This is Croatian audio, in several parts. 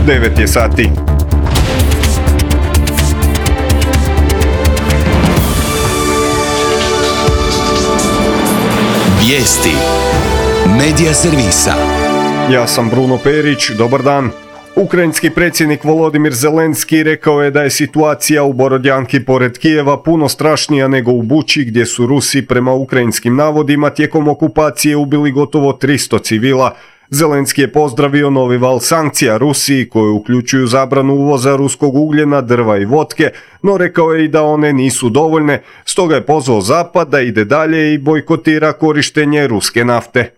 9 je sati. Vijesti Medija servisa. Ja sam Bruno Perić, dobar dan. Ukrajinski predsjednik Volodimir Zelenski rekao je da je situacija u Borodjanki pored Kijeva puno strašnija nego u Buči, gdje su Rusi prema ukrajinskim navodima tijekom okupacije ubili gotovo 300 civila. Zelenski je pozdravio novi val sankcija Rusiji koje uključuju zabranu uvoza ruskog ugljena, drva i vodke, no rekao je i da one nisu dovoljne, stoga je pozvao Zapad da ide dalje i bojkotira korištenje ruske nafte.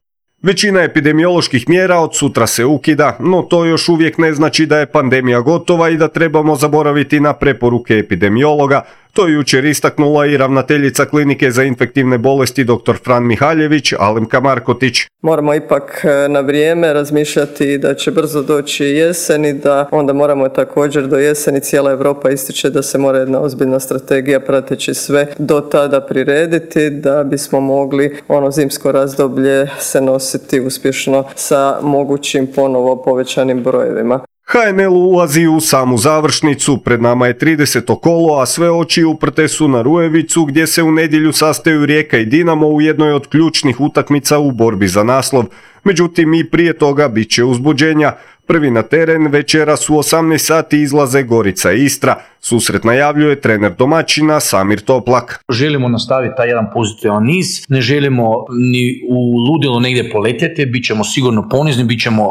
Većina epidemioloških mjera od sutra se ukida, no to još uvijek ne znači da je pandemija gotova i da trebamo zaboraviti na preporuke epidemiologa. To je jučer istaknula i ravnateljica klinike za infektivne bolesti dr. Fran Mihaljević, Alemka Markotić. Moramo ipak na vrijeme razmišljati da će brzo doći jesen i da onda moramo također do jeseni, cijela Europa ističe da se mora jedna ozbiljna strategija prateći sve do tada prirediti da bismo mogli ono zimsko razdoblje se nositi uspješno sa mogućim ponovo povećanim brojevima. HNL ulazi u samu završnicu, pred nama je 30. kolo, a sve oči uprte su na Rujevicu gdje se u nedjelju sastaju Rijeka i Dinamo u jednoj od ključnih utakmica u borbi za naslov. Međutim, i prije toga bit će uzbuđenja. Prvi na teren večeras u 18 sati izlaze Gorica i Istra. Susret najavljuje trener domaćina Samir Toplak. Želimo nastaviti taj jedan pozitivan niz, ne želimo ni u ludilo negdje poletjeti, bit ćemo sigurno ponizni, bit ćemo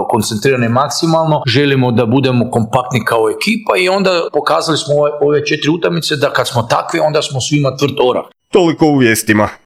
koncentrirani maksimalno, želimo da budemo kompaktni kao ekipa i onda pokazali smo ove 4 utakmice da kad smo takvi onda smo svima tvrd orah. Toliko u vijestima.